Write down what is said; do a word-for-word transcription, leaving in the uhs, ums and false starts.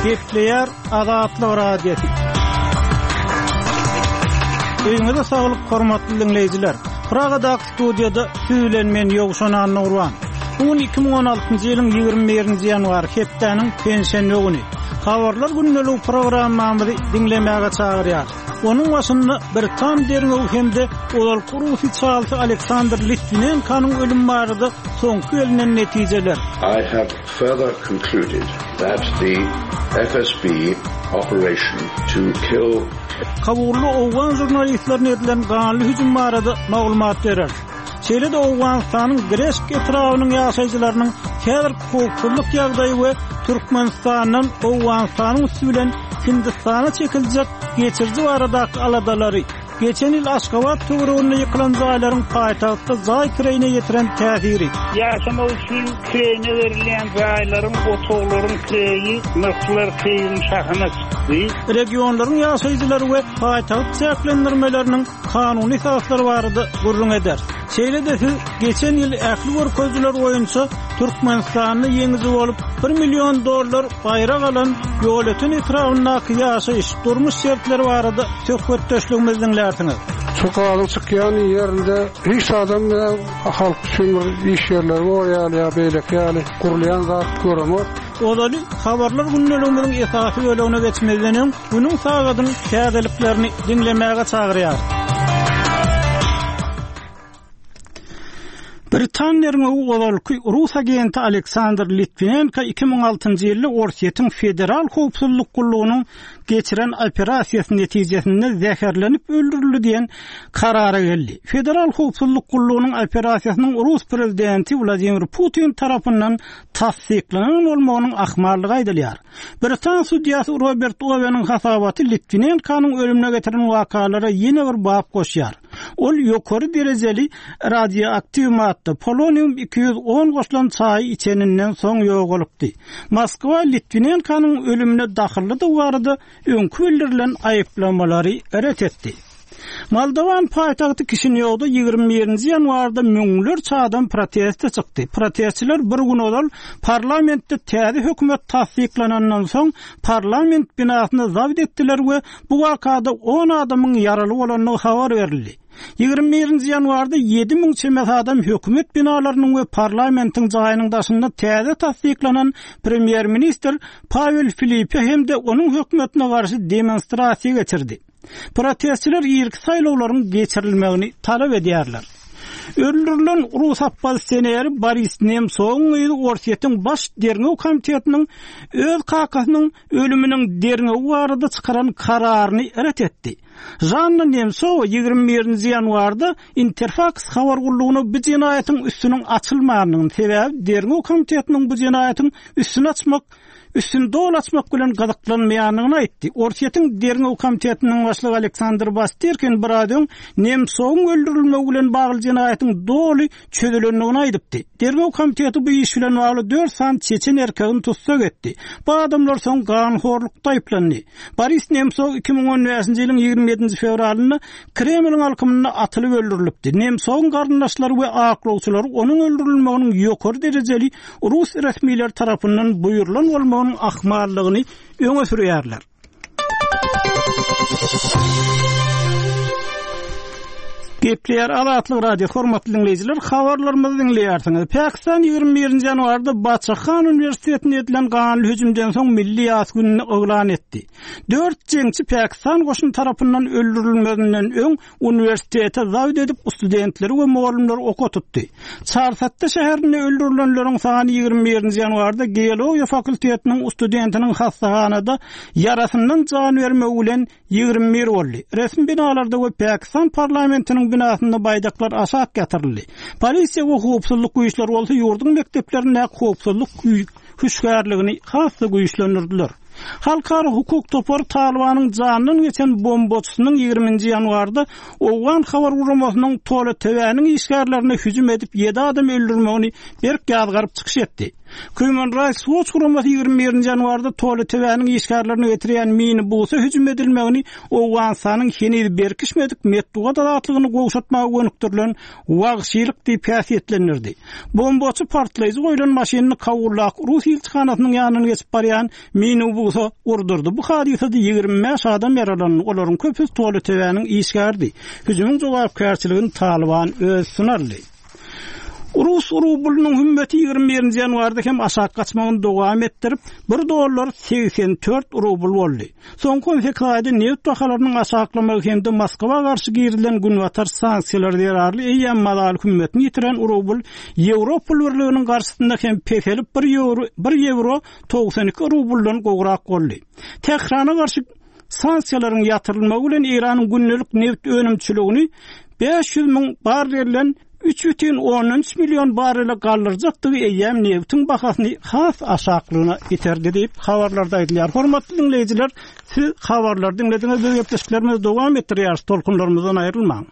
Gepleýär Azatlyk Radiosy. Öýüňize saglyk hormatly diňleýjiler. Pragadaky studiýada siz bilen men Ýowşan Annagurban. Bu gün iki müň on altynjy ýylyň ýigrimi birinji ýanwary hepdäniň penşenbe güni. Habarlar gündeligi programmamyzy diňlemäge çagyrýar. Onuň başynda Britan derňewi hem-de ozalky rus içalysy Aleksandr Litwinenkonyň ölümi barada soňky gelinen netijeler. I have further concluded that the F S B operation to kill Kabulda Owgan jurnalistlerine edilen ganly hüjüm barada maglumat berer. Şeýle-de Owganystanyň Greşk etrabynyň ýaşaýjylarynyň häzir howpsuzlyk ýagdaýy we Türkmenistandan Owganystanyň üsti bilen Hindistana çekiljek geçiriji baradaky aladalary, geçen ýyl Aşgabat töwereginde ýykylan jaýlaryň paýtagtda jaý kireýine ýetiren täsiri. Ýaşamak üçin kireýine berilýän jaýlaryň, otaglaryň kireýi nyrhlar kireýiň şahyna çykdy. Regionlaryň ýaşaýjylary we paýtagt çäklendirmeleriniň kanuny esaslary barada gürrüň eder. Şeýle-de siz geçen ýyl ähli görkezijiler boýunça Türkmenistanda ýeňiji bolup bir million dollar baýrak alan Ýolöten etrabyndaky ýaşaýyş, durmuş şertleri barada söhbetdeşligimizi diňlärsiňiz. Şu gazyň çykýan ýerinde hiç adam halk üçin bir iş ýerleri bor ýaly ýa beýleki ýaly gurulýan zat göremok. Ozaly habarlar gündeligimiziň esasy bölegine geçmezden öň günüň sagadyň täzeliklerini diňlemäge çagyrýar. Britan derňewi ozalky Rus agenti Aleksandr Litvinenko iki müň altynjy ýylda Orsýetiň Federal Howpsuzlyk Gullugynyň geçiren operasiýasy netijesinde zäherlenip öldürildi diýen karara geldi. Federal Howpsuzlyk Gullugynyň operasiýasynyň Rus prezidenti Wladimir Putin tarapyndan tassyklanan bolmagynyň ahmallygy aýdylýar. Britan sudýasy Robert Oweniň hasabaty Litvinenkonyň ölümine getiren wakalara ýene bir bap goşýar. Ol ýokary derejeli radioaktiw madda polonium iki ýüz on goşulan çaýy içeninden soň ýogalypdy. Moskwa Litvinenkonyň ölümine dahyllydygy barada öňkü bildirilen aýyplamalary ret etdi. Moldowan paýtagty Kişinýowda ýigrimi birinji ýanwarda müňlerçe adam proteste çykdy. Protestçiler bir gün ozal parlamentde täze hökümet tassyklanandan soň parlament binasyny zabt etdiler we bu wakada on adamyň ýaraly bolandygy habar berildi. Ýigrimi birinji ýanwarda ýedi müň çemesi adam hökümet binalarynyň we parlamentiň jaýynyň daşynda täze tassyklanan premýer-ministr Pavel Filipe hem-de onuň hökümetine garşy demonstrasiýa geçirdi. Protestçiler irki saýlawlaryň geçirilmegini talap edýärler. Öldürilen Rus oppozisioneri Boris Nemsowyň gyzy Orsýetiň baş derňew komitetiniň öz kakasynyň ölüminiň derňewi barada çykaran kararyny ret etdi. Janna Nemsowa ýigrimi birinji ýanwarda Interfax habar gullugyna bu jenaýatyň üstüniň açylmagynyň sebäbi derňew komitetiniň bu jenaýatyň üstüni açmak, üstüni doly açmak bilen gyzyklanmaýandygyny aýtdy. Orsýetiň derňew komitetiniň başlygy Aleksandr Bastirkin bir aý öň Nemsowyň öldürilmegi bilen bagly jenaýatyň doly çözülendigini aýdypdy. Derňew komiteti bu iş bilen bagly dört sany çeçen erkegini tussag etdi. Bu adamlar soň ganhorlukda aýyplandy. Boris Nemsow iki müň on bäşinji ýylyň ýigrimi ýedinji fewralynda Kremliň alkymynda atylyp öldürilipdi. Nemsowyň garyndaşlary we aklawçylary onuň öldürilmeginiň ýokary derejeli Rus resmileri tarapyndan buýrulan bolmagynyň ahmallygyny öňe sürýärler. Gepleýär Azatlyk Radio, hormatly dinleýjiler, habarlarymyzy diňleýärsiňiz. Pakistan ýigrimi birinji ýanwarda Baçahan uniwersitetinde edilen ganly hüjümden soň milli ýas gününi yglan etdi. Dört jeňçi Pakistan goşuny tarapyndan öldürilmeginden öň uniwersitete zabt edip studentleri we mugallymlary oka tutdy. Çarsatda şäherinde öldürilenleriň sany ýigrimi birinji ýanwarda geologiýa fakultetiniň studentiniň hastahanada ýarasyndan jan bermegi bilen ýigrimi bir boldy. Resmi binalarda we Pakistan parlamentiniň binasynda baýdaklar aşak ýatyryldy. Polisiýa we howpsuzlyk güýçleri bolsa ýurduň mekdeplerinde howpsuzlyk hüşgärligini has-da güýçlendirdiler. Halkara hukuk topary Talibanyň jandan geçen bombaçysynyň ýigriminji ýanwarda Owgan habar guramasynyň Tola T V'niň işgärlerine hüjüm edip ýedi adam öldürmegini berk ýazgaryp çykyş etdi. Human Rights Watch guramasy ýigrimi birinji ýanwarda Tola T V'niň işgärlerine getirýän minibusa hüjüm edilmegini Owganystanyň heniz berkişmedik metbugat azatlygyny gowşatmaga gönükdirilen wagşylyk diýip häsiýetlendirdi. Bombaçy partlaýjy goýlan maşynyny Kabuldaky Rus ilçihanasynyň ýanyndan geçip barýan minibusa awtobusa urdurdy. Bu hadysada ýigrimi bäş adam ýaralandy, olaryň köpüsi Tolitebäniň işgäridi. Hüjümiň jogapkärçiligini Talyban öz üstüne aldy. Rus rublynyň hümmeti ýigrimi birinji ýanwarda hem aşak gaçmagyny dowam etdirip, bir dollar segsen dört rubl boldy. Soňky on sekiz aýda nebit bahalarynyň aşaklamagy hem-de Moskwa garşy girizilen günbatar sanksiýalary zerarly eýýäm mazaly hümmetini ýitiren rubl Ýewropa Birliginiň garşysynda hem peselip bir ýewro, bir ýewro togsan iki rubldan gowrak boldy. Tährana garşy sanksiýalaryň ýatyrylmagy bilen Eýranyň gündelik nebit önümçiligini bäş ýüz müň barrelden üç bütin ondan üç million barrele galdyrjakdygy eýýäm nebitiň bahasyny has aşaklygyna iterdi diýip habarlarda aýdylýar. Hormatly diňleýjiler, siz habarlary diňlediňiz, biz gepleşiklerimizi dowam etdirýäris, tolkunlarymyzdan aýrylmaň.